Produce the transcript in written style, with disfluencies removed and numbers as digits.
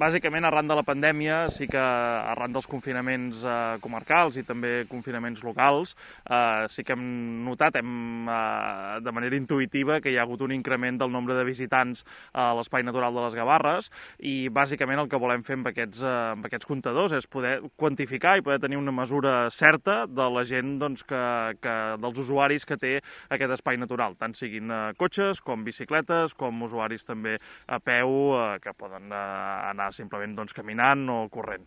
bàsicament, arran de la pandèmia, sí que arran dels confinaments comarcals i també confinaments locals, sí que hem notat de manera intuïtiva que hi ha hagut un increment del nombre de visitants a l'Espai Natural de les Gavarres i, bàsicament, el que volem fer amb aquests comptadors és poder quantificar i poder tenir una mesura certa de la gent dels usuaris que té aquest espai natural, tant siguin cotxes com bicicletes, com usuaris també a peu que poden anar simplement caminant o corrent.